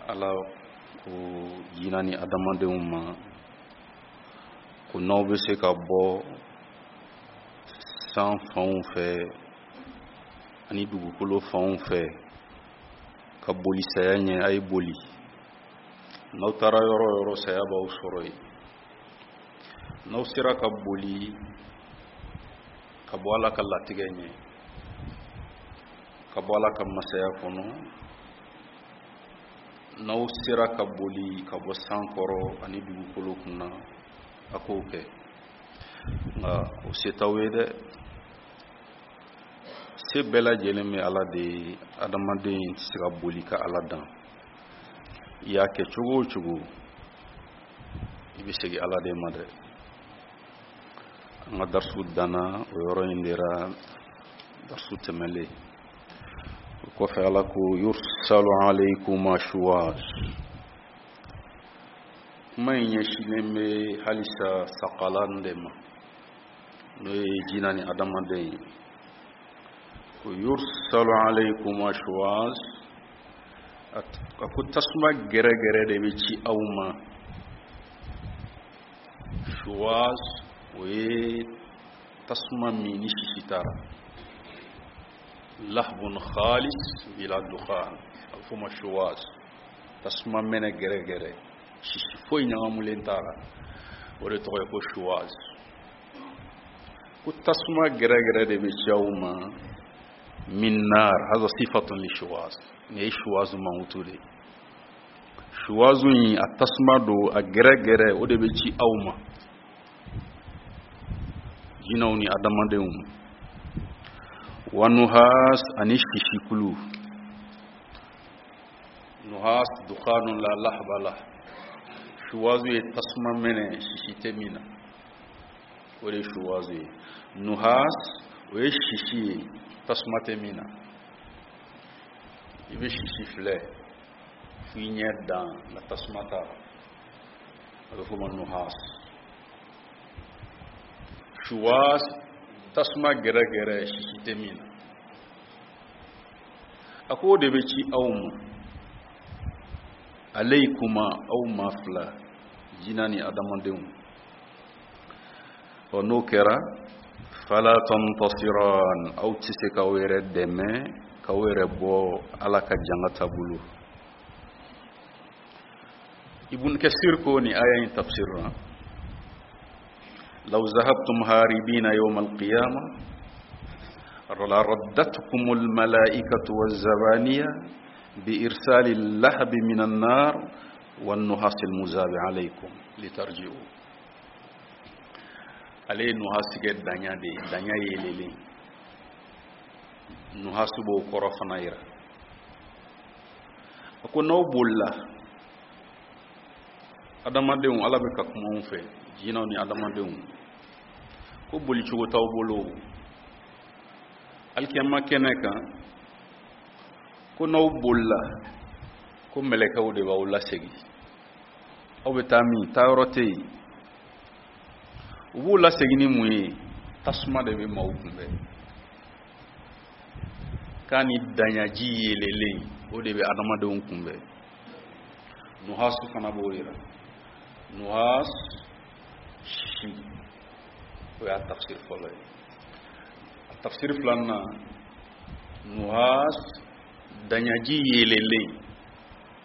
Ala ko jina ni adamadenw ma ko n'aw bɛ se ka bɔ san fanw fɛ ani dugukolo fanw fɛ ka boli saya ɲɛ, a ye boli. N'aw taara yɔrɔ o yɔrɔ, saya b'aw sɔrɔ yen. N'aw sera ka boli ka bɔ Ala ka latigɛ ɲɛ, ka bɔ Ala ka masaya kɔnɔ, n'aw sera ka boli ka bɔ san kɔrɔ ani dugukolo kunna, a k'o kɛ. Nka o se t'aw ye dɛ, se bɛɛ lajɛlen bɛ Ala de ye. Adamaden tɛ se ka boli ka Ala dan. I y'a kɛ cogo o cogo, i bɛ segin Ala de ma dɛ. An ka darisu danna o yɔrɔ in de ra darisu tɛmɛlen. O kɔfɛ, Ala ko yursalu alaykuma shuwaz. Kuma in ɲɛsinnen bɛ halisa sakalan de ma, n'o ye jina ni adamaden ye. Ko yursalu alaykuma shuwaz, a ko tasuma gɛrɛgɛrɛ de bɛ ci aw ma. Shuwaz, o ye tasuma min ni sisi t'a ra, lahbun khalis bila dukhan, a bɛ f'o ma shuwaz. Tasuma mɛnɛ gɛrɛgɛrɛ, sisi foyi ɲagamulen t'a la, o de tɔgɔ ye ko shuwaz. Ko tasuma gɛrɛgɛrɛ de bɛ ci aw ma. Min nar, haza sifatun li shuwaz, nin ye shuwazu mankutu de ye. Shuwazu in, a tasuma don, a gɛrɛgɛrɛ, o de bɛ ci aw ma, jinɛw ni adamadenw. Wa nuhas, ani sisikulu. Nuhas dukhanun la lahba lah. Shuwazu ye tasuma mɛnɛ, sisi tɛ min na, o de ye shuwazu ye. Nuhas, o ye sisi ye, tasuma tɛ min na. I bɛ sisi filɛ f'i ɲɛ dan, nka tasuma t'a la, a bɛ f'o ma nuhas. Shuwaz, tasuma gɛrɛgɛrɛ, sisi tɛ min na. A ko o de bɛ ci aw ma. Aleykuma, aw maa fila, jina ni adamadenw. Ɔ, n'o kɛra, fala tantasiran, aw tɛ se k'aw yɛrɛ dɛmɛ, k'aw yɛrɛ bɔ Ala ka jangata bolo. Ibn Kasir ko ni aya in tafsir na: law zahabtum haribina yawm alqiyama la raddatkum almalaikatu wazabaniya bi irsali allahbi min annar والنحاس المذاب عليكم لترجعوا. Ale ye nuhasi kɛ danya de ye, danya yeelelen. Nuhasu b'o kɔrɔ fana yira. A ko n'aw bolila, adamadenw, Ala bɛ ka kuma anw fɛ, jinɛw ni adamadenw, ko bolicogo t'aw bolo alikiyama kɛnɛ kan. Ko n'aw bolila, ko mɛlɛkɛw de b'aw lasegin. Aw bɛ taa min, taayɔrɔ tɛ yen. U b'u lasegin ni mun ye? Tasuma de bɛ maaw kunbɛn, k'a ni daɲaji yeelelen, o de bɛ adamadenw kunbɛn. Nuhasu fana b'o yira. Nuhas, sisi, o y'a tafsir fɔlɔ ye. A tafsir filanan, nuhas, daɲaji yeelelen.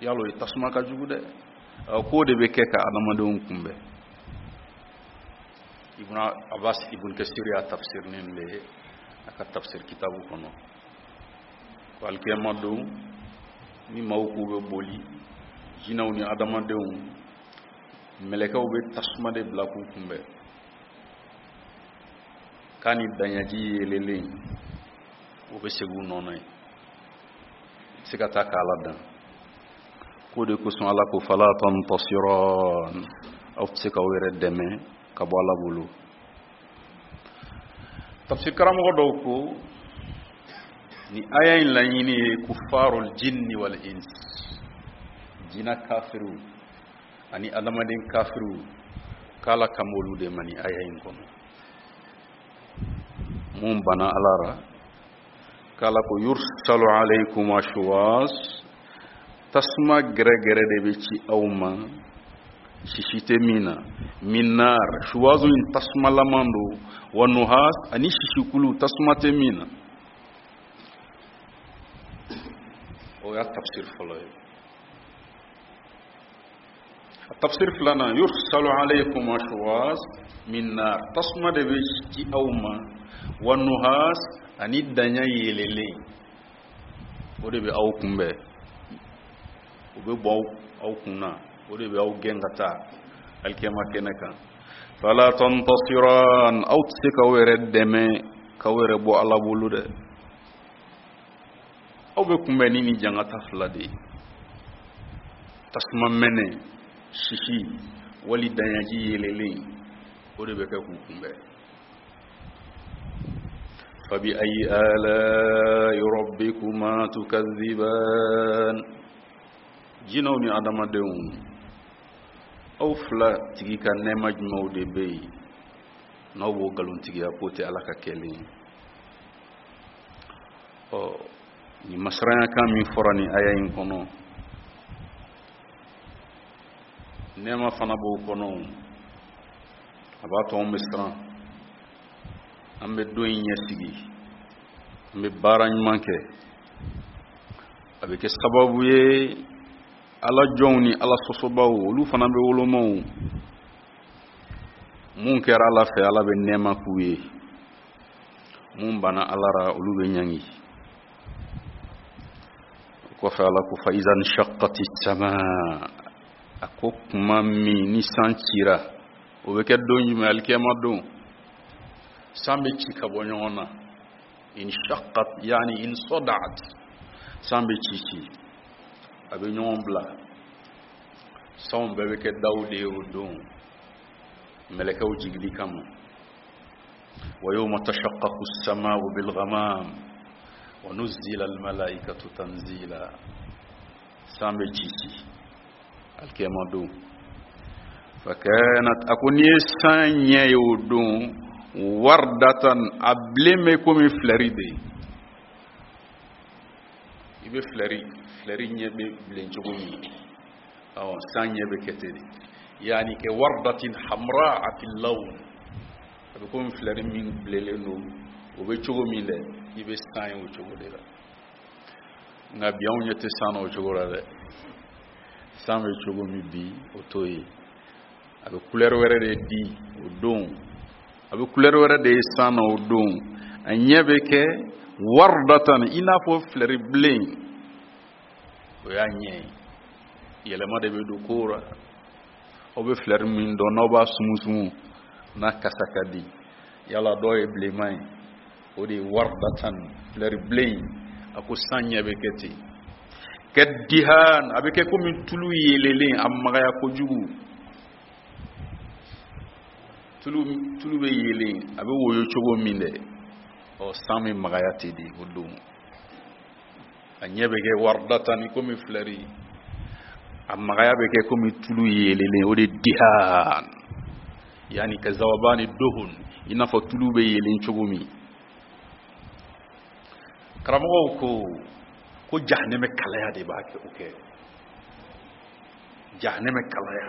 Yalo ye tasuma ka jugu dɛ. K'o de bɛ kɛ ka adamadenw kunbɛn. Ibn Abbas, Ibn Kasir y'a tafsir nin de ye a ka tafsir kitabu kɔnɔ, ko alikiyama don, ni maaw k'u bɛ boli, jinɛw ni adamadenw, mɛlɛkɛw bɛ tasuma de bila k'u kunbɛn, k'a ni daɲaji yeelelen, o bɛ segin u nɔ na yen. Se ka taa k'Ala dan. K'o de kosɔn Ala ko fala tantasiran, aw tɛ se k'aw yɛrɛ dɛmɛ ka bɔ Ala bolo. Tafsir karamɔgɔ dɔw ko ni aya in laɲini ye kufarul jinni wal ins, jina kafiriw ani adamaden kafiriw, k'Ala kan b'olu de ma ni aya in kɔnɔ. Mun banna Ala ra, k'Ala ko yursalu alaykuma shuwas, Tasuma gɛrɛgɛrɛ de bɛ ci aw ma, sisi tɛ min na. Min nar, shuwazu in tasumalaman don. Wa nuhas, ani sisikulu, tasuma tɛ min na. O y'a tafsir fɔlɔ ye. A tafsir filanan, yursalu alaykum shuwaz min nar, tasuma de bɛ ci aw ma. Wa nuhas, ani daɲa yeelelen, o de bɛ aw kunbɛn, o bɛ bɔ aw kun na, o de bɛ aw gɛn ka taa alikiyama kɛnɛ kan. Fala tantasiran, aw tɛ se k'aw yɛrɛ dɛmɛ k'aw yɛrɛ bɔ Ala bolo dɛ. Aw bɛ kunbɛn ni nin jangata fila de ye: tasuma mɛnɛ, sisi wali daɲaji yeelelen, o de bɛ kɛ k'u kunbɛn. Fabi ayi ala'i rabbikuma tukadhiban. Jinɛw ni adamadenw, aw fila tigi ka nɛɛma jumɛnw de bɛ yen n'aw b'o nkalontigiya k'o tɛ Ala ka kɛlen ye? Ɔ, nin masiranyakan min fɔra nin aya in kɔnɔ, nɛɛma fana b'o kɔnɔ. A b'a to anw bɛ siran, an bɛ don in ɲɛsigi, an bɛ baara ɲuman kɛ. A bɛ kɛ sababu ye Ala jɔnw ni Ala sɔsɔbaw, olu fana bɛ wolomaw. Mun kɛra Ala fɛ, Ala bɛ nɛɛma k'u ye. Mun banna Ala ra, olu bɛ ɲangi. O kɔfɛ, Ala ko: fa iza nshaqqati sama. A ko kuma min ni san cira, o bɛ kɛ don jumɛn? Alikiyama don. San bɛ ci ka bɔ ɲɔgɔn na. Inshaqqat, yani insadaat, san bɛ ci ci, a bɛ ɲɔgɔn bila. Sanw bɛɛ bɛ kɛ daw de ye o don mɛlɛkɛw jigili kama. Wa yawma tashaqqaqu as-sama'u bil ghamam wa nuzzila al malaikatu tanzila. San bɛ ci ci alikiyama don. Fakanat, a ko n'i ye san ɲɛ ye o don, wardatan, a bilen bɛ komi filɛri de ye. I bɛ filɛri ɲɛ bɛ bilen cogo min, awɔ, san ɲɛ bɛ kɛ ten de. Yani kɛ wardatin hamra fil lawn, a bɛ komi filɛri min bilenlen don, o bɛ cogo min dɛ, i bɛ san ye o cogo de la. Nka bi, anw ɲɛ tɛ san na o cogo la dɛ. San bɛ cogo min bi, o t'o ye. A bɛ couleur wɛrɛ de di o don, a bɛ couleur wɛrɛ de ye san na o don. A ɲɛ bɛ kɛ wardatan, i n'a fɔ filɛri bilen, o y'a ɲɛ ye. Yɛlɛma de bɛ don ko la. Aw bɛ filɛri min dɔn, n'aw b'a sumusumu, n'a kasa ka di, yala dɔw ye bilenman ye, o de ye wardatan, filɛri bilen. A ko san ɲɛ bɛ kɛ ten. Kɛ dihan, a bɛ kɛ komi tulu yeelelen, a magaya kojugu. Tulu bɛ yeelen, a bɛ woyo cogo min dɛ, ɔ, san bɛ magaya ten de o don. A ɲɛ bɛ kɛ wardatan ni komi filɛri, a magaya bɛ kɛ komi tulu yeelelen, o de dihan, yani ka zawabani dohun, i n'a fɔ tulu bɛ yeelen cogo min. Karamɔgɔw ko ko jahanɛmɛ kalaya de b'a kɛ o kɛ. Jahanɛmɛ kalaya,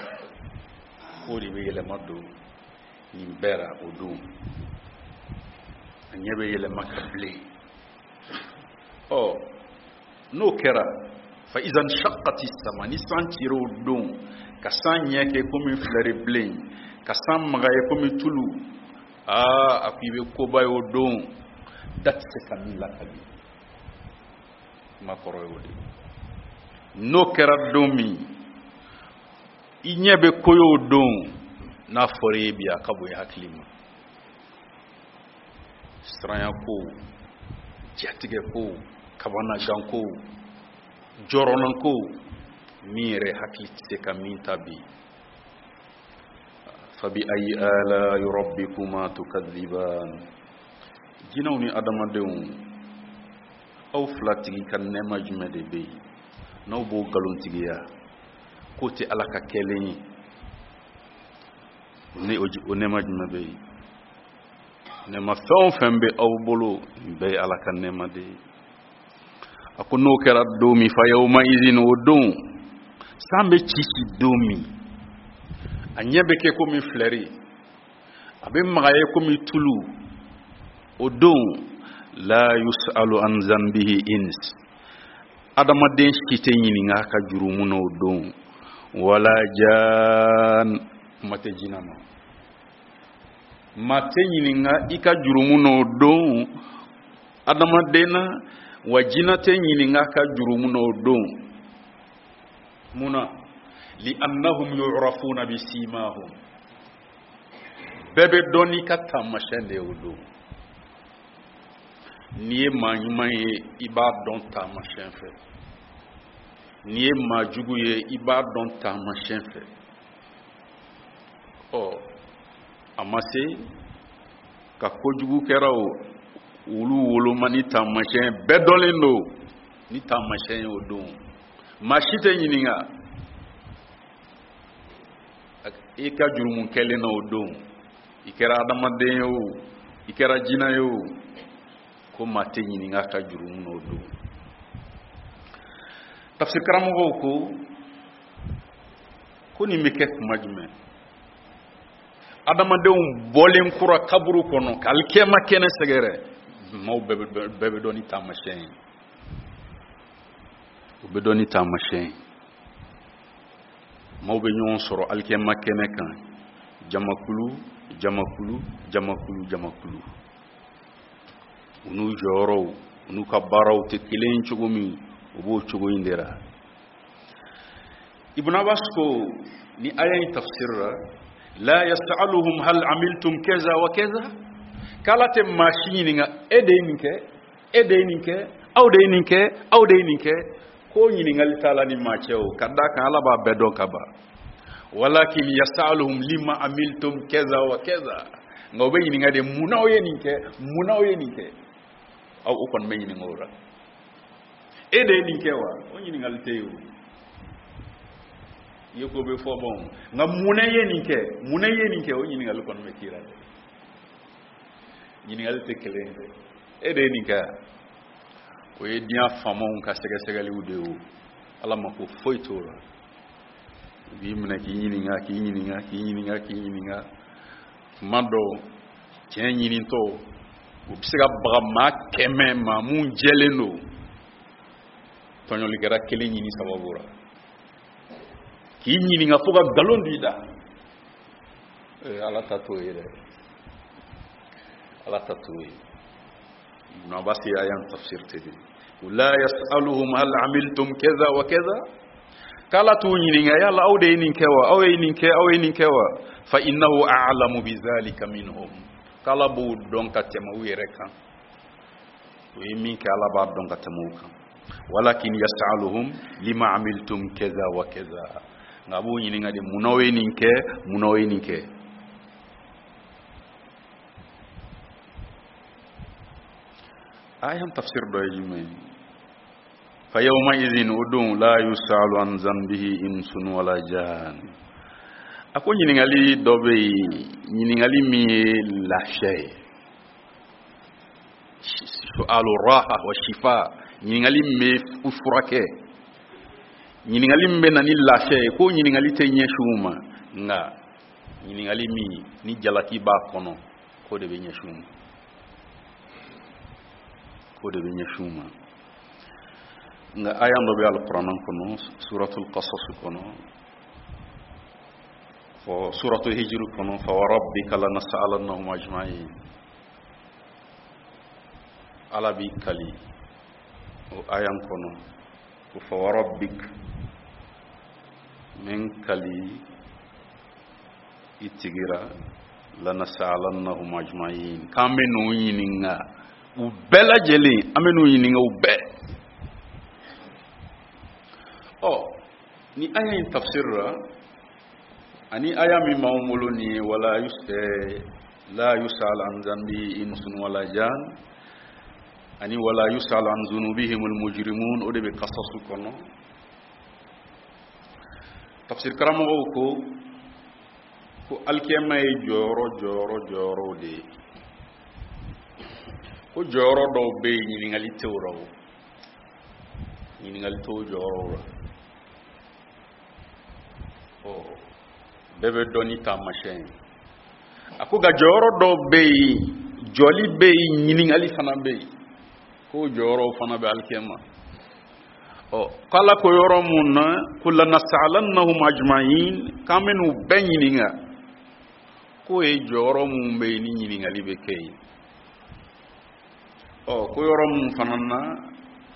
k'o de bɛ yɛlɛma don nin bɛɛ ra o don. A ɲɛ bɛ yɛlɛma ka bilen. Ɔ, n'o kɛra, fa iza nshaqqati sama, ni san cira o don, ka san ɲɛ kɛ komi filɛri bilen, ka san magaya komi tulu, aa, a ko i bɛ koba ye o don, da tɛ se ka min lakali. Kuma kɔrɔ ye o de ye. N'o kɛra don min, i ɲɛ bɛ ko ye o don, n'a fɔra i ye bi, a ka bon i hakili ma. Siranya ko, jatigɛ ko, kabanagan ko, jɔrɔnan ko, min yɛrɛ hakili tɛ se ka min ta bi. Fabi ayi ala'i rabbikuma tukadhiban. Jinɛw ni adamadenw, aw fila tigi ka nɛɛma jumɛn de bɛ yen n'aw b'o nkalontigiya k'o tɛ Ala ka kɛlen ye? Ni o nɛɛma jumɛn bɛ yen? Nɛɛma fɛn o fɛn bɛ aw bolo, nin bɛɛ ye Ala ka nɛɛma de ye. A ko n'o kɛra don min, fa yawma izin, o don san bɛ ci ci don min, a ɲɛ bɛ kɛ komi filɛri, a bɛ magaya komi tulu, o don la yusalu an zanbihi ins, adamaden si tɛ ɲininka a ka jurumu na o don, wala jan, kuma tɛ jinɛ ma. Maa tɛ ɲininka i ka jurumu na o don adamaden na, wa jinɛ tɛ ɲininka a ka jurumu na o don. Mun na? Li annahum yu'rafuna bi simahum, bɛɛ bɛ dɔn n'i ka taamasiyɛn de ye o don. N'i ye maa ɲuman ye, i b'a dɔn taamasiyɛn fɛ. N'i ye maa jugu ye, i b'a dɔn taamasiyɛn fɛ. Ɔ, a ma se ka kojugu kɛra o, olu woloma ni taamasiyɛn bɛɛ dɔnlen don ni taamasiyɛn ye o don. Maa si tɛ ɲininka i ka jurumu kɛlen na o don, i kɛra adamaden ye o, i kɛra jinɛ ye o, ko maa tɛ ɲininka a ka jurumu na o don. Tafsir karamɔgɔw ko ko nin bɛ kɛ kuma jumɛn? Adamadenw bɔlen kura kaburu kɔnɔ ka alikiyama kɛnɛ sɛgɛrɛ, maaw bɛɛ bɛ dɔn ni taamasiyɛn ye, u bɛ dɔn ni taamasiyɛn ye. Maaw bɛ ɲɔgɔn sɔrɔ alikiyama kɛnɛ kan, jamakulu jamakulu jamakulu jamakulu, u n'u jɔyɔrɔw, u n'u ka baaraw tɛ kelen ye cogo min, u b'o cogo in de la. Ibn Abbas ko ni aya in tafsir la, la yasaluhum hal amiltum kaza wa kaza, k'Ala tɛ maa si ɲininka e de ye nin kɛ, e de ye nin kɛ, aw de ye nin kɛ, aw de ye nin kɛ, ko ɲininkali t'a la ni maa cɛ o, ka d'a kan Ala b'a bɛɛ dɔn ka ban. Walakin yasaluhum lima amiltum kaza wa kaza, nka o bɛ ɲininka de mun n'aw ye nin kɛ, mun n'aw ye nin kɛ, aw o kɔni bɛ ɲininka o la. E de ye nin kɛ wa? O ɲininkali tɛ yen o, i ye ko bɛ fɔ bɔn, nka mun na i ye nin kɛ, mun na i ye nin kɛ, o ɲininkali kɔni bɛ k'i la dɛ. Ɲininkali tɛ kelen ye dɛ, e de ye nin kɛ, o ye diɲɛ faamaw ka sɛgɛsɛgɛliw de ye o, Ala mako foyi t'o la. U b'i minɛ k'i ɲininka, k'i ɲininka, k'i ɲininka, k'i ɲininka. Tuma dɔw tiɲɛ ɲinitɔ, u bɛ se ka baga maa 100 maa mun jɛlen don, tɔɲɔlikɛla kelen ɲini sababu la k'i ɲininka fo ka nkalon d'i da. Ala ta t'o ye dɛ, Ala ta t'o ye. Ibn Abbas ye aya in tafsir ten de, la yasaluhum hal amiltum kaza wa kaza, k'Ala t'u ɲininka yala aw de ye nin kɛ wa, aw ye nin kɛ, aw ye nin kɛ wa, fa innahu a'lamu bi zalika minhum, k'Ala b'o dɔn ka tɛmɛ u yɛrɛ kan, o ye min kɛ Ala b'a dɔn ka tɛmɛ u kan. Walakin yasaluhum lima amiltum kaza wa kaza, nka a b'u ɲininka de mun n'aw ye nin kɛ, mun n'aw ye nin kɛ. Aya tafsir dɔ ye jumɛn ye? Fa yawma idhin, o don, la yusalu an zanbihi insun wala jan. A ko ɲininkali dɔ bɛ yen, ɲininkali min ye lafiya ye, su'alu raha wa shifa, ɲininkali min bɛ furakɛ, ɲininkali min bɛ na ni lafiya ye, ko ɲininkali tɛ ɲɛsin u ma, nka ɲininkali min ni jalaki b'a kɔnɔ, k'o de bɛ ɲɛsin u ma, k'o de bɛ ɲɛsin u ma. Nka aya dɔ bɛ alikuranɛ kɔnɔ, suratul qasas kɔnɔ, fɔ suratul hijr kɔnɔ, fa wa rabbika lanas'alannahum ajma'in, Ala b'i kali o aya kɔnɔ ko fa wa rabbik, n bɛ n kali i tigira, lanas'alannahum ajma'in, k'an bɛ n'u ɲininka u bɛɛ lajɛlen, an bɛ n'u ɲininka u bɛɛ. Ɔ, ni aya in tafsir la, ani aya min b'anw bolo nin ye, wala la yus'al an zanbi insun wala jan, ani wala yus'al an zunubihimul mujrimun, o de bɛ kasasu kɔnɔ. Tafsir karamɔgɔw ko ko alikiyama ye jɔyɔrɔ jɔyɔrɔ jɔyɔrɔw de ye, ko jɔyɔrɔ dɔw bɛ yen ɲininkali tɛ o la o, Ɲininkali t'o jɔyɔrɔw la. Ɔ, bɛɛ bɛ dɔn ni taamasiyɛn ye. A ko nka jɔyɔrɔ dɔw bɛ yen, jɔli bɛ yen, ɲininkali fana bɛ yen, k'o jɔyɔrɔw fana bɛ alikiyama. Ɔ, k'Ala ko yɔrɔ mun na ko lanasalannahum ajma'in, k'an bɛn'u bɛɛ ɲininka, k'o ye jɔyɔrɔ mun bɛ yen ni ɲininkali bɛ kɛ yen. Ɔ, ko yɔrɔ mun fana na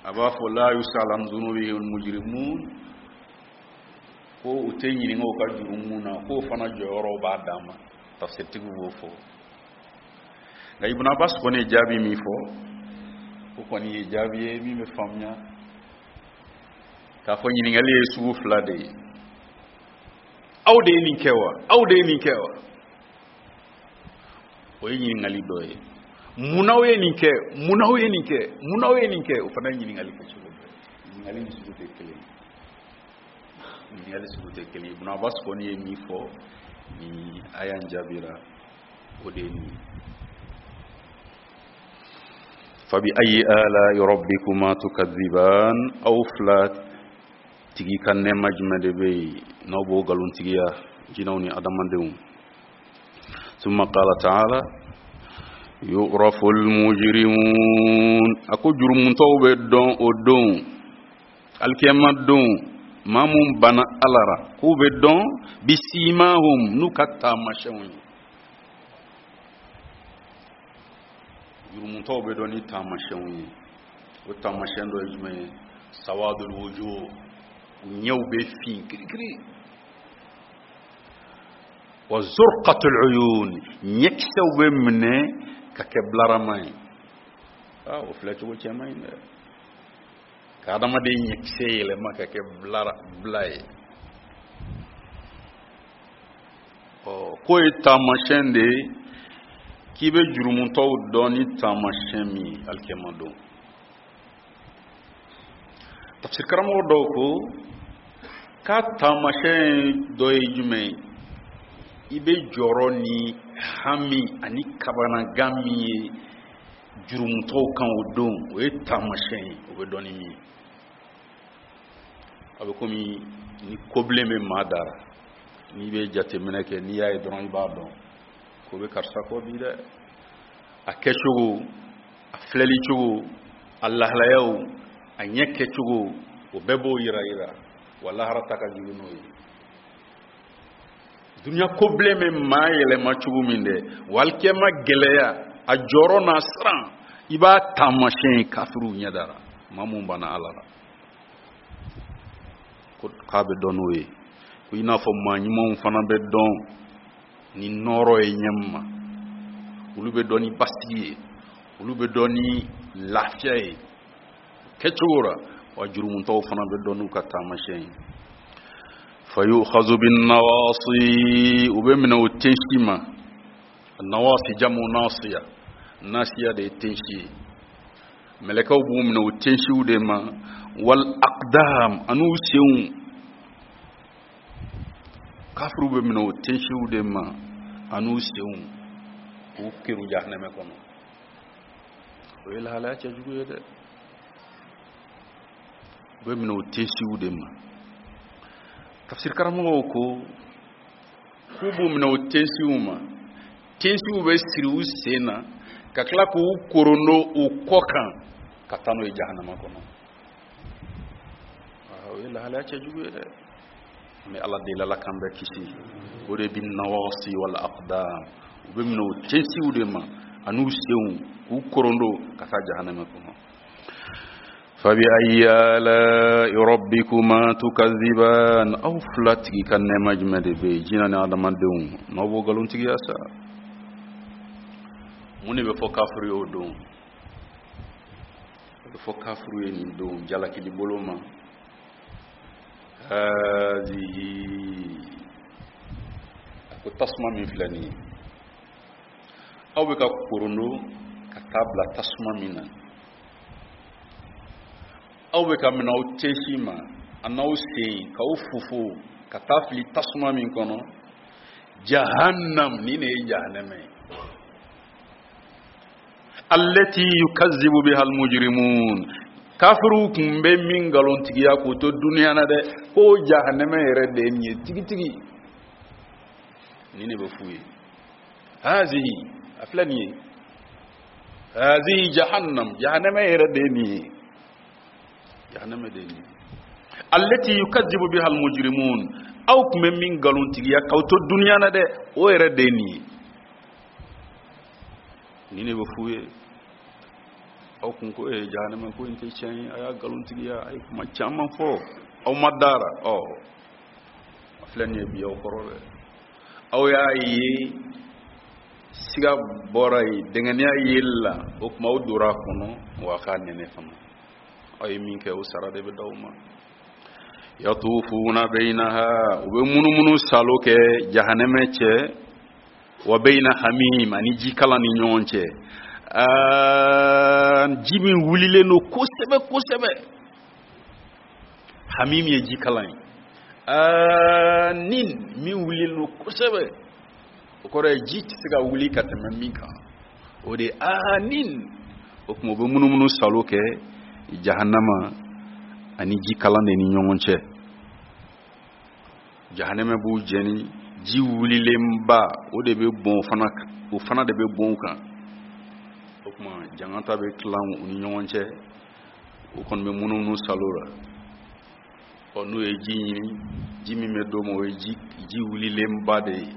a b'a fɔ la yusal an zunubihim mujrimun, ko u tɛ ɲininka u ka jurumu na, k'o fana jɔyɔrɔw b'a dan ma. Tafsirtigiw b'o fɔ. Nka Ibn Abbas kɔni ye jaabi min fɔ, o kɔni ye jaabi ye min bɛ faamuya k'a fɔ ɲininkali ye sugu fila de ye. Aw de ye nin kɛ wa? Aw de ye nin kɛ wa? O ye ɲininkali dɔ ye. Mun n'aw ye nin kɛ? Mun n'aw ye nin kɛ? Mun n'aw ye nin kɛ? O fana ye ɲininkali kɛcogo dɔ ye. Ɲininkali ni sugu tɛ kelen ye. Ɲininkali sugu tɛ kelen ye. Ibn Abbas kɔni ye min fɔ ni aya in jaabira, o de ye nin ye. Fabi ayi ala rabbikuma tukadhiban, aw fila tigi ka nɛɛma jumɛn de bɛ yen n'aw b'o nkalontigiya, jinɛw ni adamadenw? Summa qala ta'ala yu'rafu al-mujrimun, a ko jurumutɔw bɛ dɔn o don, alikiyama don, maa mun banna Ala ra, k'u bɛ dɔn bisimahum, n'u ka taamasiyɛnw ye. Jurumutɔw bɛ dɔn ni taamasiyɛnw ye. O taamasiyɛn dɔ ye jumɛn ye? Sawadul wujuh, u ɲɛw bɛ fin kirikiri. Wa zurqatul uyun, ɲɛkisɛw bɛ minɛ ka kɛ bilarama ye. Aa, o filɛ cogo cɛ man ɲi dɛ, ka adamaden ɲɛkisɛ yɛlɛma ka kɛ bila ye. Ɔ, k'o ye taamasiyɛn de ye k'i bɛ jurumutɔw dɔn ni taamasiyɛn min ye alikiyama don. Tafsir karamɔgɔ dɔw ko k'a taamasiyɛn dɔ ye jumɛn ye? I bɛ jɔrɔ ni hami ani kabanagan min ye jurumutɔw kan o don, o ye taamasiyɛn ye, o bɛ dɔn ni min ye. A bɛ komi ni kobilen bɛ maa dara, n'i bɛ jateminɛ kɛ, n'i y'a ye dɔrɔn i b'a dɔn ko bɛ karisa kɔ bi dɛ. A kɛcogo, a filɛli cogo, a lahalayaw, a ɲɛ kɛcogo, o bɛɛ b'o yira yira. Wa lahara ta ka jugu n'o ye. Dunuya kobilen bɛ maa yɛlɛma cogo min dɛ, wa alikiyama gɛlɛya, a jɔrɔ n'a siran, i b'a taamasiyɛn ye kafiriw ɲɛ dara, maa mun banna Ala la, ko k'a bɛ dɔn n'o ye. Ko i n'a fɔ maa ɲumanw fana bɛ dɔn ni nɔɔrɔ ye ɲɛ min ma, olu bɛ dɔn ni basigi ye, olu bɛ dɔn ni lafiya ye kɛcogo la. Wa jurumutɔw fana bɛ dɔn n'u ka taamasiyɛn ye. Fayu'khazu bin nawasi, u bɛ minɛ o tensi ma. Nawasi jamu nasiya, nasiya de ye tensi ye. Mɛlɛkɛw b'u minɛ o tensiw de ma. Wal aqdam, an'u senw. Kafiriw bɛ minɛ o tensiw de ma an'u senw, k'u keru jahanɛmɛ kɔnɔ. O ye lahalaya cɛjugu ye dɛ. U bɛ minɛ o tensiw de ma. Tafsir karamɔgɔw ko k'u b'u minɛ o tensiw ma, tensiw bɛ siri u sen na ka tila k'u korondo u kɔ kan ka taa n'o ye jahanama kɔnɔ. O ye lahalaya cɛjugu ye dɛ. An bɛ Ala deli, Ala k'an bɛɛ kisi. O de bi nawasi wal aqdam, u bɛ minɛ o tensiw de ma an'u senw, k'u korondo ka taa jahanama kɔnɔ. Fabi ayi ala'i rabbikuma tukadhiban, aw fila tigi ka nɛɛma jumɛn de bɛ yen, jinɛ ni adamadenw, n'aw b'o nkalontigiya sa? Mun de bɛ fɔ kafiri ye o don? O bɛ fɔ kafiri ye nin don jalakili bolo ma. Hazihi, a ko tasuma min filɛ nin ye, aw bɛ ka korondo ka taa bila tasuma min na, aw bɛ ka minɛ aw tensi ma a n'aw sen k'aw fofo ka taa fili tasuma min kɔnɔ, jahannam, nin de ye jahanama ye. Allati yukazzibu biha almujrimun, Kafiriw tun bɛ min nkalontigiya k'u to duniya na dɛ, ko jahanɛmɛ yɛrɛ de ye nin ye tigitigi. Nin de bɛ f'u ye. Hazihi, a filɛ nin ye, hazihi jahannam, jahanɛmɛ yɛrɛ de ye nin ye, jahanɛmɛ de ye nin ye. Allati yukadzibu biha almujrimun, aw tun bɛ min nkalontigiya k'aw to duniya na dɛ, o yɛrɛ de ye nin ye. Nin de bɛ f'u ye. Aw kun ko ee jahanɛmɛ ko in tɛ tiɲɛ ye, a y'a nkalontigiya, a ye kuma caman fɔ, aw ma dara. Ɔ, a filɛ nin ye bi aw kɔrɔ dɛ. Aw y'a ye siga bɔra yen, dɛngɛniya yeli la, o tuma aw donna a kɔnɔ, wa a k'a nɛnɛ fana. Aw ye min kɛ, o sara de bɛ d'aw ma. Yatufuna bayinaha, u bɛ munumunu salo kɛ jahanɛmɛ cɛ, wa bayina hamim, ani jikalan ni ɲɔgɔn cɛ. Ji min wulilen don kosɛbɛ kosɛbɛ. Hamim ye jikalan ye. Nin min wulilen don kosɛbɛ, o kɔrɔ ye ji tɛ se ka wuli ka tɛmɛ min kan, o de ye nin. O tuma u bɛ munumunu salo kɛ jahanama ani jikalan de ni ɲɔgɔn cɛ. Jahanama b'u jɛni, ji wulilenba o de bɛ bɔn o fana, o fana de bɛ bɔn u kan. O tuma jangata bɛ tilan u ni ɲɔgɔn cɛ, u kɔni bɛ munumunu salo la. Ɔ, n'u ye ji ɲini, ji min bɛ d'u ma, o ye ji wulilenba de ye.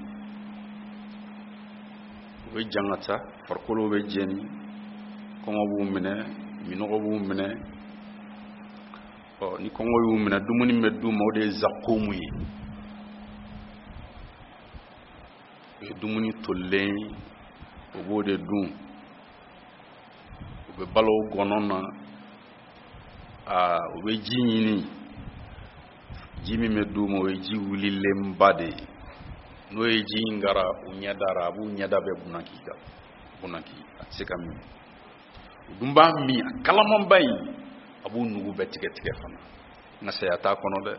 U bɛ jangata, farikolo bɛ jɛni, kɔngɔ b'u minɛ, minɔgɔ b'u minɛ. Ɔ, ni kɔngɔ y'u minɛ, dumuni bɛ d'u ma, o de ye zakomu ye. O ye dumuni tolilen ye, u b'o de dun. U bɛ balo o gɔnɔ na. Aa, u bɛ ji ɲini, ji min bɛ d'u ma, o ye ji wulilenba de ye. N'o ye ji in gara u ɲɛda ra, a b'u ɲɛda bɛɛ bunaki ka bunaki, a tɛ se ka min. U dun b'a min, a kalamanba in, a b'u nugu bɛɛ tigɛ tigɛ fana. Nka saya t'a kɔnɔ dɛ.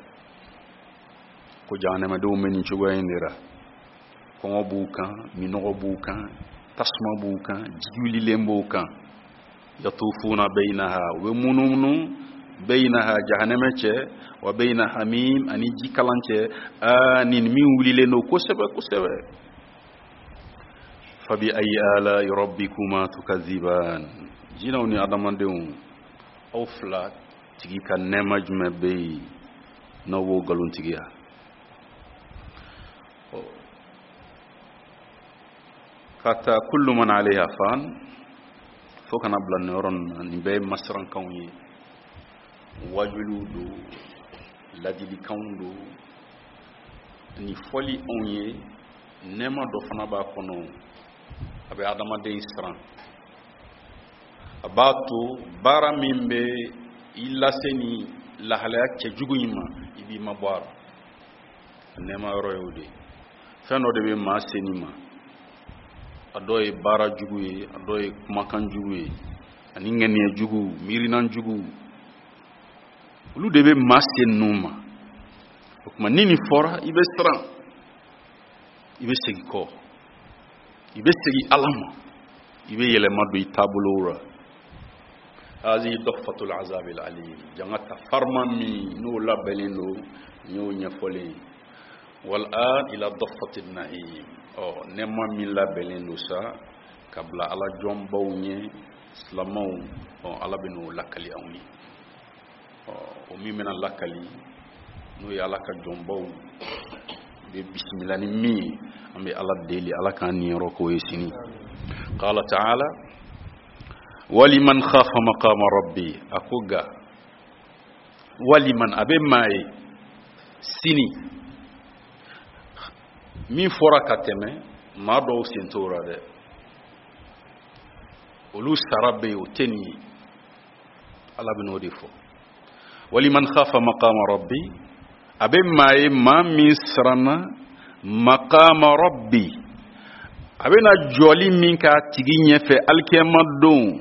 Ko jahanamadenw bɛ nin cogoya in de la. Kɔngɔ b'u kan, minɔgɔ b'u kan, tasuma b'u kan, ji wulilen b'u kan. Yatufuna bayinaha, u bɛ munumunu bayinaha jahanama cɛ, wa bayina hamim, ani jikalan cɛ, nin min wulilen don kosɛbɛ kosɛbɛ. Fabi ayi ala rabbikuma tukaziban. Jinɛw ni adamadenw, aw fila tigi ka nɛɛma jumɛn bɛ yen n'aw b'o nkalontigiya? Ka taa kullu man alayha fan, fo kana bila nin yɔrɔ ninnu na. Nin bɛɛ ye masirankanw ye, wajuliw don, ladilikanw don. Nin fɔli anw ye, nɛɛma dɔ fana b'a kɔnɔ, a bɛ adamaden siran, a b'a to baara min bɛ i lase ni lahalaya cɛjugu in ma, i b'i mabɔ a la. Nɛɛma yɔrɔ y'o de ye. Fɛn dɔ de bɛ maa se nin ma, a dɔ ye baara jugu ye, a dɔ ye kumakan jugu ye, ani ŋaniya jugu, miirinan jugu, olu de bɛ maa se ninnu ma. O tuma ni nin fɔra, i bɛ siran, i bɛ segin kɔ, i bɛ segin Ala ma, i bɛ yɛlɛma don i taabolow la. Hazihi dɔfatul azabil alim, jangata farima min n'o labɛnnen don, n y'o ɲɛfɔlen ye. Wal an ila dɔfatil na'im, ɔ nɛɛma min labɛnnen don sa ka bila Ala jɔnbaw ɲɛ, silamɛw, ɔ Ala bɛ n'o lakali anw ye. Ɔ, o min bɛna lakali, n'o ye Ala ka jɔnbaw bɛ bisimila ni min ye, an bɛ Ala deli, Ala k'an niyɔrɔ k'o ye sini. Qala ta'ala waliman khafa maqama rabbi, a ko ga waliman, a bɛ maa ye sini min fɔra ka tɛmɛ, maa dɔw sen t'o la dɛ, olu sara bɛ yen, o tɛ nin ye. Ala bɛ n'o de fɔ. Waliman khafa maqama rabbi, a bɛ maa ye maa min siranna maqama rabbi, a bɛna jɔli min k'a tigi ɲɛfɛ alikiyama don,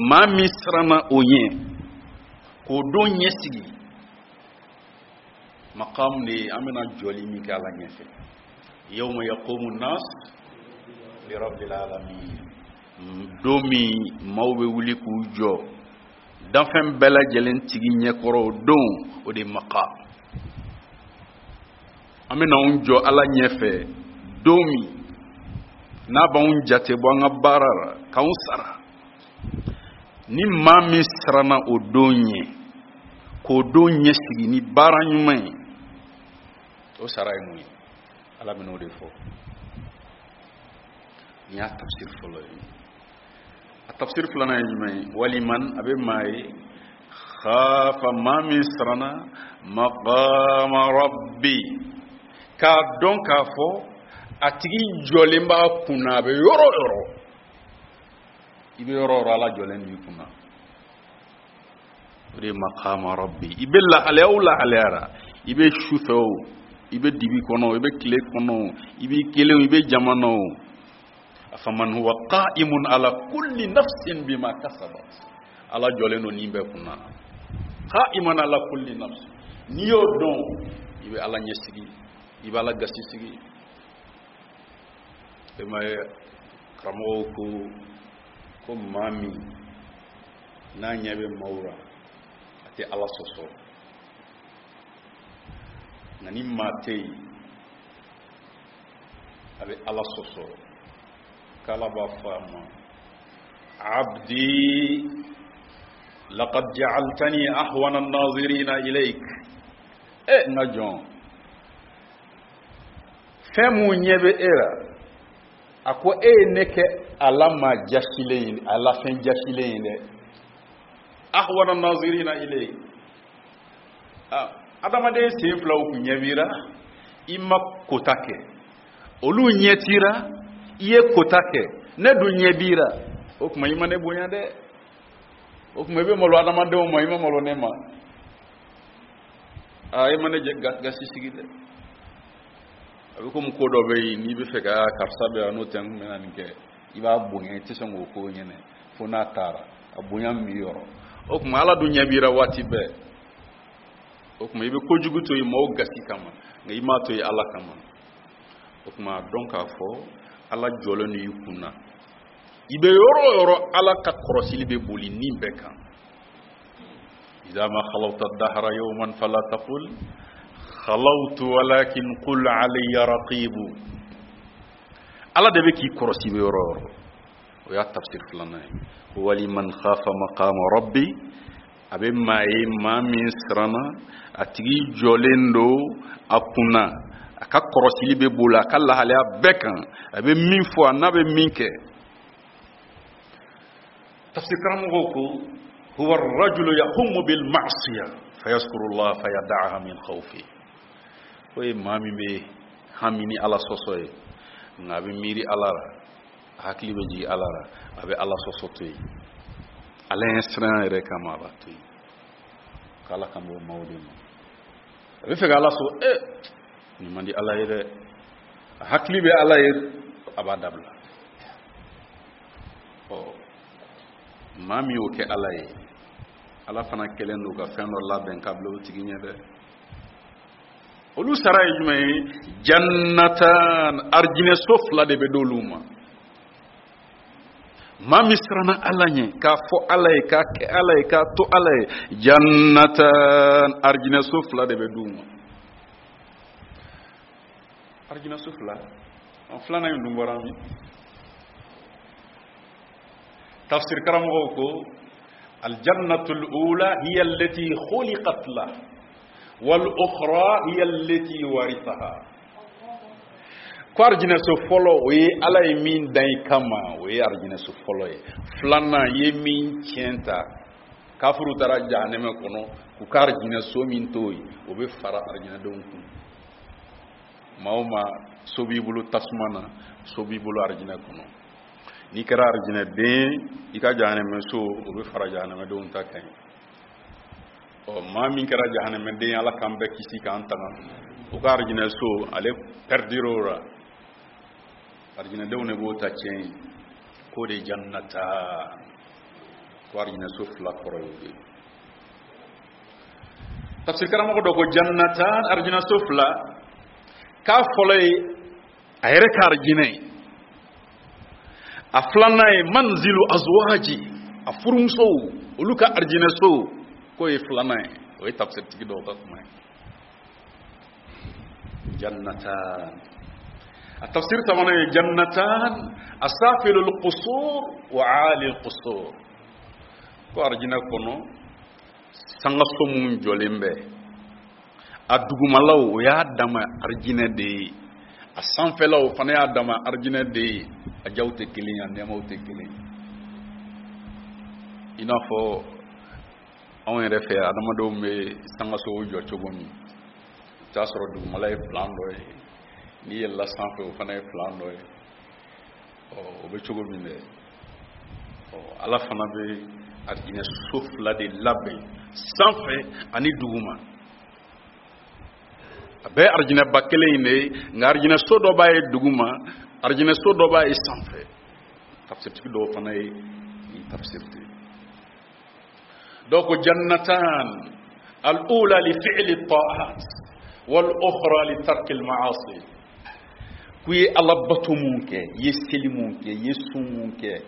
maa min siranna o ɲɛ k'o don ɲɛsigi, maqam de ye an bɛna jɔli min kɛ Ala ɲɛfɛ. Yawma yaqumu nas li rabbil alamin, don min maaw bɛ wuli k'u jɔ Danfɛn bɛɛ lajɛlen tigi ɲɛkɔrɔ o don, o de ye maqam. An bɛna anw jɔ Ala ɲɛfɛ don min n'a b'anw jate bɔ an ka baara la k'anw sara. Ni maa min siranna o don ɲɛ, k'o don ɲɛsigi ni baara ɲuman ye, o sara ye mun ye? Ala bɛn'o de fɔ. Nin y'a tafsir fɔlɔ ye. A tafsir filanan ye jumɛn ye? Waliman, a bɛ maa ye, khafa, maa min siranna, maqama rabbi, k'a dɔn k'a fɔ a tigi jɔlen b'a kunna. A bɛ yɔrɔ o yɔrɔ, i bɛ yɔrɔ o yɔrɔ, Ala jɔlen b'i kunna. O de ye maqama rabbi. I bɛ lahalaya o lahalaya la, i bɛ su fɛ o, i bɛ dibi kɔnɔ o, i bɛ tile kɔnɔ o, i b'i kelen o, i bɛ jama na o, afaman huwa qa'imun ala kulli nafsin bima kasabat, Ala jɔlen don nin bɛɛ kunna. Qa'iman ala kulli nafsin, n'i y'o dɔn, i bɛ Ala ɲɛsigi, i bɛ Ala gasi sigi. E ma ye, karamɔgɔw ko maa min n'a ɲɛ bɛ maaw la, a tɛ Ala sɔsɔ, nka ni maa tɛ yen, a bɛ Ala sɔsɔ, k'Ala b'a fɔ a ma: abdi, laqad ja'altani ahwana an-nazirina ilayk. E n ka jɔn, fɛn mun ɲɛ bɛ e la, a ko e ye ne kɛ a la maa jasilen ye, a la fɛn jasilen ye dɛ. Ahwana an-nazirina ilayk, adamaden sen filaw kun ɲɛ b'i la, i ma kota kɛ, olu ɲɛ t'i la, i ye kota kɛ, ne dun ɲɛ b'i la. O tuma i ma ne bonya dɛ. O tuma i bɛ malo adamadenw ma, i ma malo ne ma. Aa, i ma ne gasi sigi dɛ. A bɛ komi ko dɔ bɛ yen, n'i bɛ fɛ ka karisa bɛ yan, n'o tɛ n kun bɛna nin kɛ, i b'a bonya, i tɛ sɔn k'o ko ɲɛnɛ fo n'a taara, a bonya min b'i yɔrɔ. O tuma Ala dun ɲɛ b'i la waati bɛɛ. O tuma i bɛ kojugu to yen maaw gasi kama, nka i m'a to yen Ala kama. O tuma a dɔn k'a fɔ Ala jɔlen don i kun na. I bɛ yɔrɔ o yɔrɔ, Ala ka kɔrɔsili bɛ boli nin bɛɛ kan. Idha ma khalawta dahra yawman fala taqul khalawtu walakin qul alayya raqibu. Ala de bɛ k'i kɔrɔsi i bɛ yɔrɔ o yɔrɔ. O y'a tafsir filanan ye. Waliman khafa maqama rabbi, a bɛ maa ye, maa min siranna a tigi jɔlen don a kunna, a ka kɔrɔsili bɛ boli a ka lahalaya bɛɛ kan, a bɛ min fɔ, a n'a bɛ min kɛ. Tafsir karamɔgɔw ko huwa rajulu yahumu bil ma'siya fayaskuru Allah fayada'aha min khawfi. O ye maa min bɛ hami ni Ala sɔsɔ ye, nka a bɛ miiri Ala la, a hakili bɛ jigin Ala la, a bɛ Ala sɔsɔ to yen, Ala ɲɛ siran yɛrɛ kama a b'a to yen. K'Ala kan b'o maaw de ma. A bɛ fɛ ka Ala sɔsɔ, nin man di Ala ye dɛ, a hakili bɛ Ala ye, a b'a dabila. Ɔ, maa min y'o kɛ Ala ye, Ala fana kɛlen don ka fɛn dɔ labɛn k'a bila o tigi ɲɛ dɛ. Olu sara ye jumɛn ye? Jannatan, arijinɛso fila de bɛ d'olu ma. Maa min siranna Ala ɲɛ, k'a fɔ Ala ye, k'a kɛ Ala ye, k'a to Ala ye, jannatan, arijinɛso fila de bɛ d'u ma. Arijinɛso fila, an filanan in dun bɔra min? Tafsir karamɔgɔw ko aljannatul ula hiya allati khuliqat la wal ukhra hiya allati warithaha. Ko arijinɛso fɔlɔ, o ye Ala ye min dan i kama, o ye arijinɛso fɔlɔ ye. Filanan ye min tiɲɛ ta, kafiru taara jahanɛmɛ kɔnɔ, k'u ka arijinɛso min to yen, o bɛ fara arijinɛdenw kun. Maa o maa, so b'i bolo tasuma na, so b'i bolo arijinɛ kɔnɔ. N'i kɛra arijinɛden, i ka jahanɛmɛso, o bɛ fara jahanɛmɛdenw ta kan. Ɔ, maa min kɛra jahanɛmɛden, Ala k'an bɛɛ kisi k'an tanga, o ka arijinɛso, ale pɛrɛdir'o la, arijinɛdenw de b'o ta tiɲɛ ye. K'o de ye jannata, ko arijinɛso fila kɔrɔ y'o de ye. Tafsir karamɔgɔ dɔ ko jannata, arijinɛso fila, k'a fɔlɔ ye a yɛrɛ ka arijinɛ ye, a filanan ye manzilu azwaji. A furumusow, olu ka arijinɛso, k'o ye filanan ye. O ye tafsiritigi dɔw ka kuma ye. Jannatan, a tafsir sabanan ye jannatan asafilul qusur wa alil qusur, ko arijinɛ kɔnɔ sangaso minnu jɔlen bɛ, a dugumalaw o y'a dama arijinɛ de ye, a sanfɛlaw fana y'a dama arijinɛ de ye. A jaw tɛ kelen ye, a nɛɛmaw tɛ kelen ye. I n'a fɔ anw yɛrɛ fɛ, adamadenw bɛ sangasow jɔ cogo min, i t'a sɔrɔ dugumala ye plan dɔ ye, n'i yɛlɛla sanfɛ o fana ye plan dɔ ye. Ɔ, o bɛ cogo min dɛ, ɔ, Ala fana bɛ arijinɛ so fila de labɛn, sanfɛ ani duguma. A bɛɛ arijinɛba kelen in de ye, nka arijinɛ so dɔ b'a ye duguma, arijinɛ so dɔ b'a ye sanfɛ. Tafsiritigi dɔw fana ye nin tafsiri de ye. Dɔw ko jannatan al-ula li fi'li ta'at wal ukhra li tarki al-ma'asi, k'u ye Ala bato mun kɛ, i ye seli mun kɛ, i ye sun mun kɛ,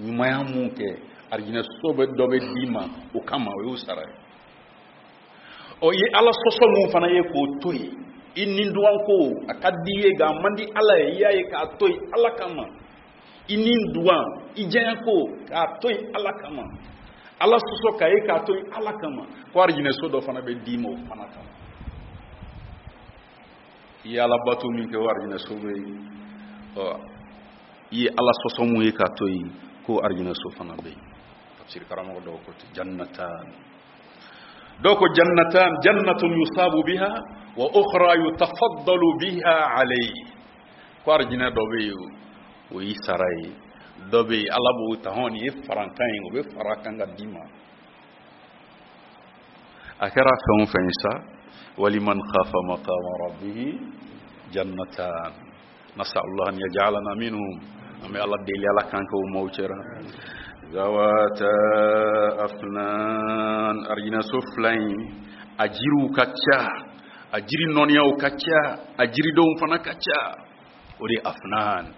ɲumanya mun kɛ, arijinɛ so bɛ dɔ bɛ d'i ma o kama, o y'o sara ye. Ɔ, i ye Ala sɔsɔ mun fana ye k'o to yen, i ni duwan ko a ka di i ye nka a man di Ala ye, i y'a ye k'a to yen Ala kama, i ni duwan i diya ko k'a to yen Ala kama, Ala sɔsɔ k'a ye k'a to yen Ala kama, ko arijinɛ so dɔ fana bɛ d'i ma o fana kama. I ye Ala bato min kɛ, o arijinɛ so bɛ yen. Ɔ, i ye Ala sɔsɔ mun ye k'a to yen, ko arijinɛ so fana bɛ yen. Tafsiri karamɔgɔ dɔw ko ten jannatan. Dɔw ko jannatan jannatun yusabu biha wa ukhra yutafaddalu biha alayhi, ko arijinɛ dɔ bɛ yen o y'i sara ye, dɔ bɛ yen Ala b'o ta, hɔn, nin ye farankan ye, o bɛ fara kan ka d'i ma. A kɛra fɛn o fɛn ye sa, waliman khafa maqama rabbihi jannatan, nasallahu an yaj'alana minhum. An bɛ Ala deli Ala k'an kɛ o maaw cɛra. Zawata afnan, arijinɛso fila in a jiriw ka ca, a jiri nɔniyaw ka ca, a jiridenw fana ka ca. O de ye afnan.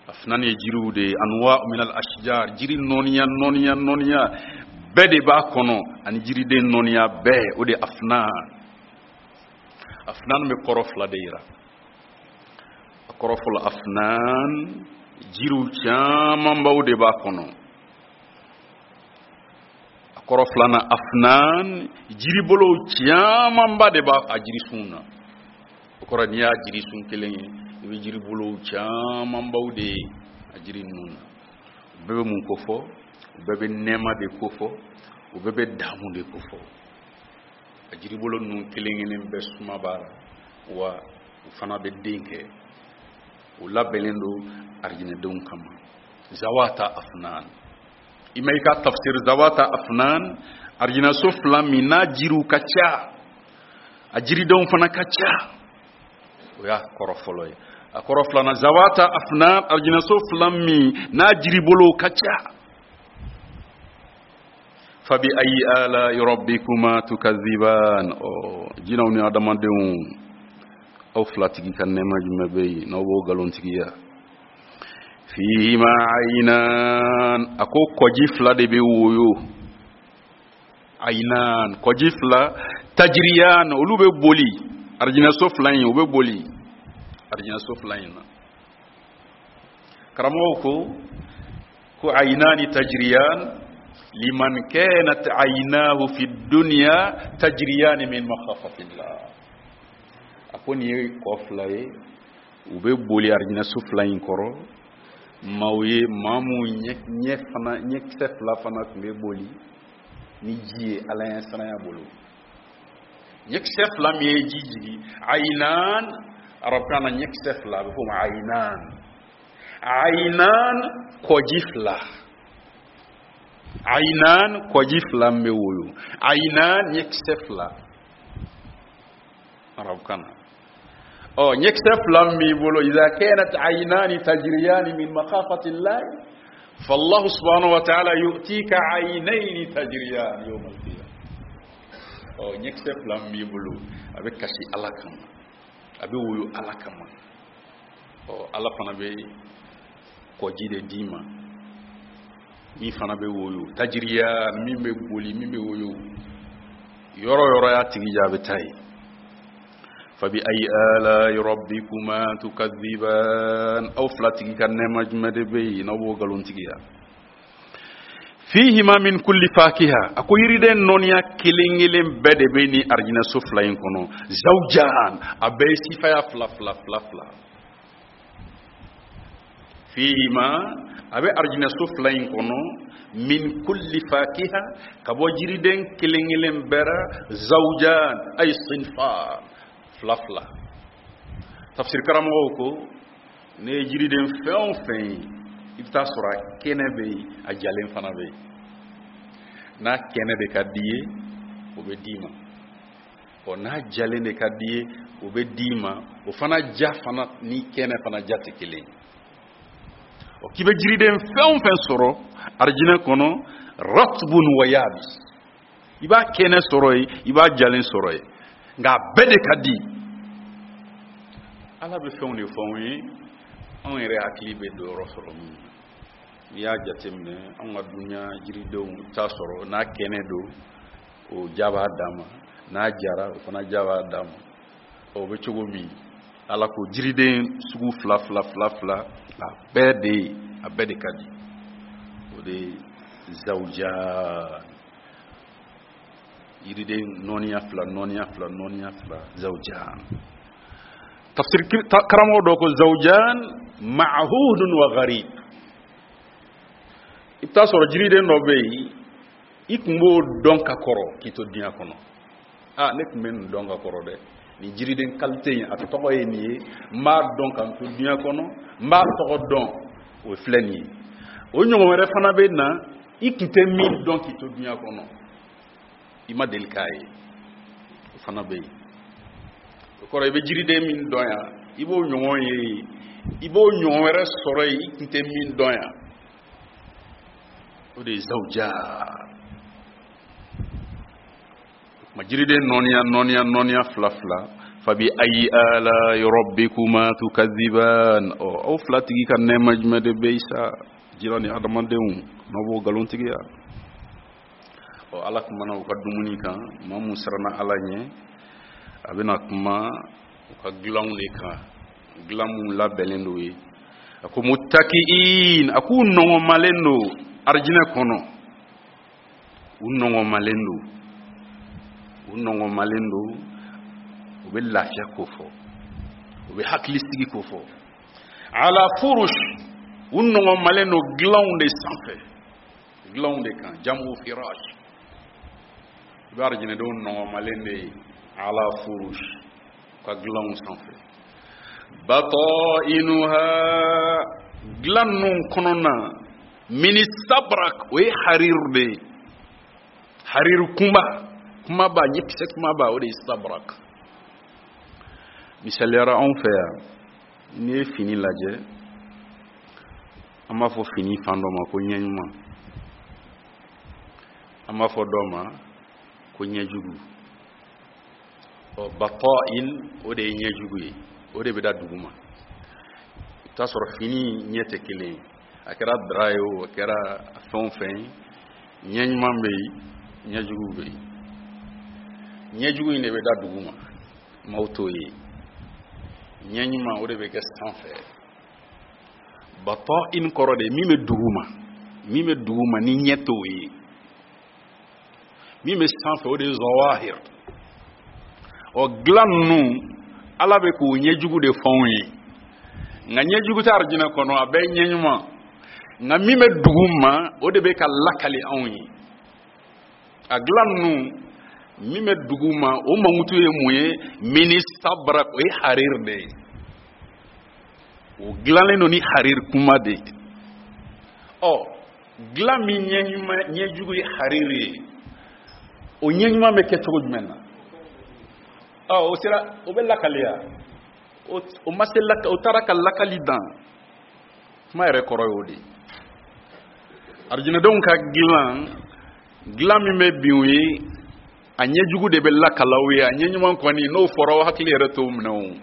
Afnan ye jiriw de ye, anwa min al ashjar, jiri nɔniya nɔniya nɔniya bɛɛ de b'a kɔnɔ, ani jiriden nɔniya bɛɛ, o de ye afnan. Afnan bɛ kɔrɔ fila de yira. A kɔrɔ fɔlɔ, afnan jiriw camanbaw de b'a kɔnɔ. A kɔrɔ filanan, afnan jiribolow camanba de b'a a jirisun na. O kɔrɔ, n'i y'a jirisun kelen ye, i bɛ jiribolow camanbaw de ye a jiri ninnu na. U bɛɛ bɛ mun kofɔ? U bɛɛ bɛ nɛɛma de kofɔ, u bɛɛ bɛ damu de kofɔ. A jiribolo ninnu kelen kelen bɛɛ suma b'a la, wa u fana bɛ den kɛ. U labɛnnen don arijinɛdenw kama. Zawata afnan, i ma i ka tafsir zawata afnan, arijinɛso fila min n'a jiriw ka ca, a jiridenw fana ka ca, o y'a kɔrɔ fɔlɔ ye. A kɔrɔ filanan, zawata afnan, arijinɛso fila min n'a jiribolow ka ca. Fabi ayi ala rabbikuma tukaziban. Ɔ, jinɛw ni adamadenw, aw filatigi ka nɛɛma jumɛn bɛ yen n'aw b'o nkalontigiya? Fihima ayinan, a ko kɔji fila de bɛ woyo. Ayinan, kɔji fila, tajiriyan, olu bɛ boli arijinɛso fila in, u bɛ boli arijinɛso fila in na. Karamɔgɔw ko ko ayinani tajiriyan liman kanat ayinahu fi dunya tajiriyani min makhafatillah. A ko nin ye kɔ fila ye, u bɛ boli arijinɛso fila in kɔrɔ, maaw ye maa mun ɲɛ fana, ɲɛkisɛ fila fana tun bɛ boli ni ji ye Ala ɲɛ siranya bolo. Ɲɛkisɛ fila min ye ji jigin, ayinan arabukan na ɲɛkisɛ fila a bɛ f'o ma ayinan. Ayinan kɔji fila, ayinan kɔji fila min bɛ woyo, ayinan ɲɛkisɛ fila arabukan na. Ɔ, ɲɛkisɛ fila min b'i bolo, idha kanat ayinani tajriyani min makhafati llahi fallahu subhanahu wa ta'ala yu'tika aynayni tajriyani yawm al-qiyamah. Ɔ, ɲɛkisɛ fila min b'i bolo, a bɛ kasi Ala kama, a bɛ woyo Ala kama. Ɔ, Ala fana bɛ kɔji de d'i ma. Min fana bɛ woyo, tajiriya, min bɛ boli, min bɛ woyo, yɔrɔ yɔrɔ y'a tigi ja, a bɛ taa yen. Fabi ayi ala'i rabbikuma tukadhiban? Aw fila tigi ka nɛɛma jumɛn de bɛ yen n'aw b'o nkalontigiya? Fihima min kulli fakiha, a ko yiriden nɔniya kelen kelen bɛɛ de bɛ ni arijinɛso fila in kɔnɔ. Zawjan, a bɛɛ ye sifaya fila fila fila fila. Fihima, a bɛ arijinɛso fila in kɔnɔ, min kulli fakiha, ka bɔ jiriden kelen kelen bɛɛ ra, zawjan ay sinfan, fila fila. Tafsir karamɔgɔw ko ne ye jiriden fɛn o fɛn ye, i bɛ taa sɔrɔ a kɛnɛ bɛ yen, a jalen fana bɛ yen. N'a kɛnɛ de ka di ye, o bɛ d'i ma. Ɔ, n'a jalen de ka di ye, o bɛ d'i ma. O fana ja fana ni kɛnɛ fana ja tɛ kelen ye. Ɔ, k'i bɛ jiriden fɛn o fɛn sɔrɔ arijinɛ kɔnɔ, ratbun wa yabis, i b'a kɛnɛ sɔrɔ yen, i b'a jalen sɔrɔ yen, nka a bɛɛ de ka di. Ala bɛ fɛnw de fɔ anw ye, anw yɛrɛ hakili bɛ don yɔrɔ sɔrɔ min na. N'i y'a jateminɛ, anw ka dunuya jiridenw, i bɛ taa sɔrɔ n'a kɛnɛ don, o ja b'a dan ma, n'a jara, o fana ja b'a dan ma. O bɛ cogo min, Ala ko jiriden sugu fila fila fila fila, a bɛɛ de ka di. O de ye zawuja, yiriden nɔniya fila, nɔniya fila, nɔniya fila, zawujan. Tafsir karamɔgɔ dɔ ko zawujan ma'hudun wa gharib. I bɛ taa sɔrɔ jiriden dɔ bɛ yen, i tun b'o dɔn ka kɔrɔ k'i to diɲɛ kɔnɔ. Aa, ne tun bɛ nin dɔn ka kɔrɔ dɛ, nin jiriden qualité in, a tɔgɔ ye nin ye, n b'a dɔn ka n to diɲɛ kɔnɔ, n b'a tɔgɔ dɔn, o filɛ nin ye. O ɲɔgɔn wɛrɛ fana bɛ na, i tun tɛ min dɔn k'i to diɲɛ kɔnɔ, i ma deli k'a ye, o fana bɛ yen. O kɔrɔ, i bɛ jiriden min dɔn yan, i b'o ɲɔgɔn ye yen, i b'o ɲɔgɔn wɛrɛ sɔrɔ yen, i tun tɛ min dɔn yan. O de ye zawuja ma, jiriden nɔniya nɔniya nɔniya fila fila. Fabi ayi ala rabbikuma tukadhiban? Ɔ, aw fila tigi ka nɛɛma jumɛn de bɛ yen sa, jira ni adamadenw, n'aw b'o nkalontigiya? Ɔ, Ala kumana u ka dumuni kan. Maa mun siranna Ala ɲɛ, a bɛna kuma u ka dilanw de kan, dilan mun labɛnnen don ye. A ko muttaki'in, a k'u nɔngɔnmalen don arijinɛ kɔnɔ, u nɔngɔnmalen don, u nɔngɔnmalen don. U bɛ lafiya ko fɔ, u bɛ hakilisigi ko fɔ. Ala furush, u nɔngɔnmalen don dilanw de sanfɛ, dilanw de kan, jamu firash. I bɛ arijinɛdenw nɔngɔnmalen de ye ala furush, ka dilanw sanfɛ. Batainuha, dilan ninnu kɔnɔna, min istabrak, o ye harir de ye, harir kunba kumaba, ɲɛkisɛ kumaba, o de ye istabrak. Misaliyara, anw fɛ yan, n'i ye fini lajɛ, an b'a fɔ fini fan dɔ ma ko ɲɛɲuman, an b'a fɔ dɔ ma ko ɲɛjugu. Ɔ, bata'in, o de ye ɲɛjugu ye, o de bɛ da duguma. I bɛ taa sɔrɔ fini ɲɛ tɛ kelen ye, a kɛra drap ye o, a kɛra fɛn o fɛn ye, ɲɛ ɲuman bɛ yen, ɲɛjugu bɛ yen. Ɲɛjugu in de bɛ da duguma, maaw t'o ye. Ɲɛ ɲuman, o de bɛ kɛ sanfɛ. Bata'in kɔrɔ de ye min bɛ duguma, min bɛ duguma ni ɲɛ t'o ye. Min bɛ sanfɛ, o de ye zawahir. Ɔ, dilan ninnu, Ala bɛ k'o ɲɛjugu de fɔ anw ye, nka ɲɛjugu tɛ arijinɛ kɔnɔ, a bɛɛ ye ɲɛɲuman. Nka min bɛ dugu ma, o de bɛ ka lakali anw ye. A dilan ninnu, min bɛ dugu ma, o mankutu ye mun ye? Min istabrak, o ye harir de ye, o dilanlen don ni harir kuma de ye. Ɔ, dilan min ɲɛɲuman, ɲɛjugu ye harir ye, o ɲɛɲuman bɛ kɛ cogo jumɛn na? Ɔ, o sera, o bɛ lakaliya, o ma se laka, o taara ka lakali dan. Kuma yɛrɛ kɔrɔ y'o de ye. Arijinɛdenw ka dilan, dilan min bɛ bin u ye, a ɲɛjugu de bɛ lakala u ye. A ɲɛɲuman kɔni, n'o fɔra, o hakili yɛrɛ t'o minɛ, o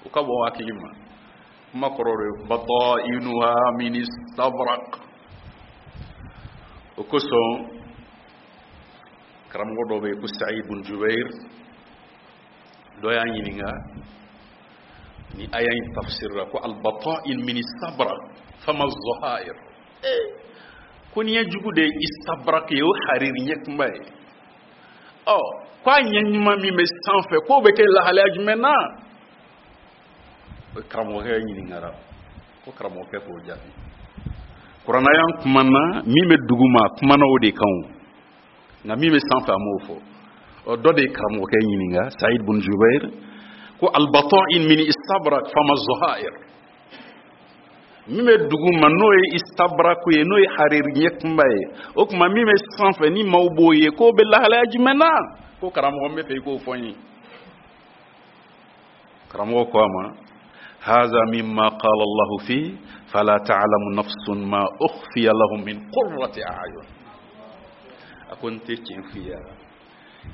o ka bɔ hakili ma. Kuma kɔrɔ de ye batainuha min istabrak. O kosɔn karamɔgɔ dɔ bɛ yen ko Saïd bun Jubair, dɔ y'a ɲininka ni aya in tafsir la ko albata'in min istabrak fama zahair, ko ni ɲɛjugu de ye istabrak ye, o hariri ɲɛ kunba ye, ɔ ko a ɲɛ ɲuman min bɛ sanfɛ, k'o bɛ kɛ lahalaya jumɛn na? O karamɔgɔkɛ ɲininkara, ko karamɔgɔkɛ k'o jaabi. Kuranna y'an kumana min bɛ duguma, a kumana o de kan o, nka min bɛ sanfɛ, a m'o fɔ. Ɔ, dɔ de ye karamɔgɔkɛ ɲininka, Saïd bun Jubair, ko albata'in min istabrak fama zahair, min bɛ duguma n'o ye istabraku ye, n'o ye hariri ɲɛ kunba ye, o tuma min bɛ sanfɛ ni maaw b'o ye, k'o bɛ lahalaya jumɛn na? Ko karamɔgɔ, n bɛ fɛ i k'o fɔ n ye. Karamɔgɔ ko a ma: haza mimma qala Allahu fi fala ta'lamu nafsun ma ukhfiya lahum min qurrati a'yun. A ko n tɛ tiɲɛ f'i ye,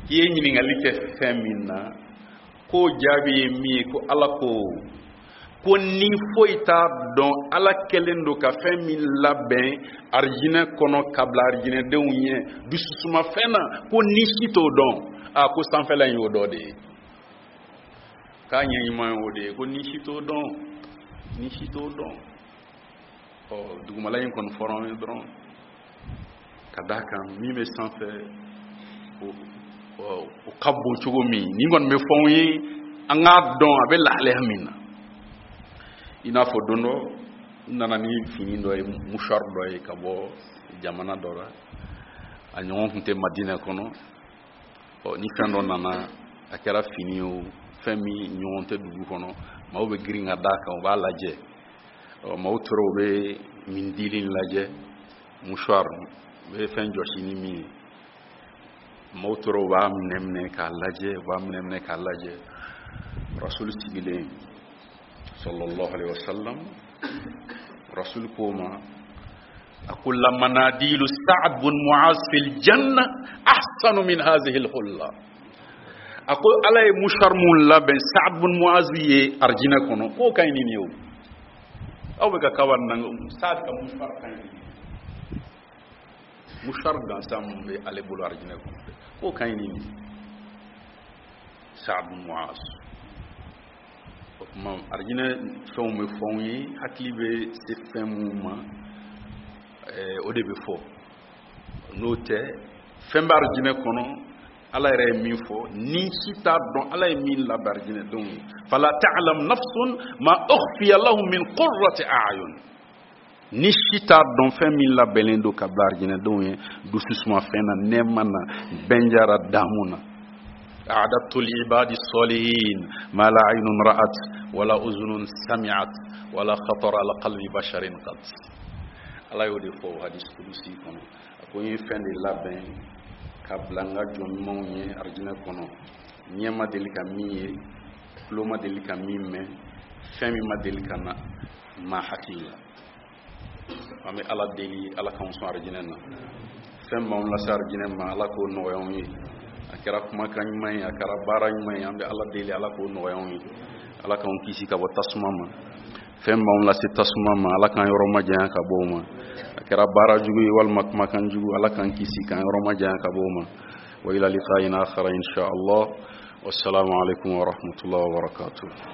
k'i ye ɲininkali kɛ fɛn min na, k'o jaabi ye min ye, ko Ala ko ni foyi t'a dɔn Ala kɛlen don ka fɛn min labɛn arijinɛ kɔnɔ ka bila arijinɛdenw ɲɛ dususumafɛn na, ko ni si t'o dɔn. A ko sanfɛla in y'o dɔ de ye, k'a ɲɛ ɲuman ye o de ye, ko ni si t'o dɔn, ni si t'o dɔn. Ɔ, dugumala in kɔni fɔra an ye dɔrɔn, ka d'a kan min bɛ sanfɛ, o ka bon cogo min, nin kɔni bɛ fɔ anw ye, an k'a dɔn a bɛ lahalaya min na. I n'a fɔ don dɔ, n nana ni fini dɔ ye, mouchoir dɔ ye, ka bɔ jamana dɔ la, a ɲɔgɔn tun tɛ Madinɛ kɔnɔ. Ɔ, ni fɛn dɔ nana, a kɛra fini ye o, fɛn min ɲɔgɔn tɛ dugu kɔnɔ, maaw bɛ girin ka d'a kan, u b'a lajɛ. Ɔ, maaw tora u bɛ mindili lajɛ, mouchoir u bɛ fɛn jɔsi ni min ye, maaw tora u b'a minɛ minɛ k'a lajɛ, u b'a minɛ minɛ k'a lajɛ. Rasul sigilen, sallallahu alaihi wasallam, Rasul ko ma, a ko: la manadilu Sa'ad bun Mu'az fil janna ahsanu min hazihi al-hulla. A ko Ala ye mouchoir mun labɛn Sa'ad bun Mu'az ye arijinɛ kɔnɔ, k'o ka ɲi ni nin ye. O aw bɛ ka kaba nin na, Sa'ad ka mouchoir ka ɲi ni nin ye, mouchoir gansan mun bɛ ale bolo arijinɛ kɔnɔ, k'o ka ɲi ni nin ye, Sa'ad bun Mu'az. O tuma arijinɛ fɛnw bɛ fɔ anw ye, hakili bɛ se fɛn mun ma, o de bɛ fɔ. N'o tɛ, fɛn bɛ arijinɛ kɔnɔ, Ala yɛrɛ ye min fɔ, ni si t'a dɔn Ala ye min labɛn arijinɛdenw ye. Fala ta'lam nafsun ma ukhfiya lahum min qurrati a'yun, ni si t'a dɔn fɛn min labɛnnen don ka bila arijinɛdenw ye dususuma fɛn na, nɛɛma na, bɛnjara damu na. أعددت لعباد الصالحين ما لا عين رأت ولا أذن سمعت ولا خطر على قلب بشر قط. Ala y'o de fɔ o hadis kudusi kɔnɔ, a ko n ye fɛn de labɛn ka bila n ka jɔn ɲumanw ye arijinɛ kɔnɔ, ɲɛ ma deli ka min ye, tulo ma deli ka min mɛn, fɛn min ma deli ka na maa hakili la. An bɛ Ala deli, Ala k'anw sɔn arijinɛ na. Fɛn b'anw lase arijinɛ ma, Ala k'o nɔgɔya anw ye. A kɛra kumakan ɲuman ye, a kɛra baara ɲuman ye, an bɛ Ala deli, Ala k'o nɔgɔya anw ye. Ala k'anw kisi ka bɔ tasuma ma. Fɛn b'anw lase tasuma ma, Ala k'an yɔrɔ majanya ka bɔ o ma. A kɛra baara jugu ye walima kumakan jugu, Ala k'an kisi k'an yɔrɔ majanya ka bɔ o ma. Wa ila liqa'in akhara insha Allah. Wassalamu alaikum wa rahmatullahi wa barakatuh.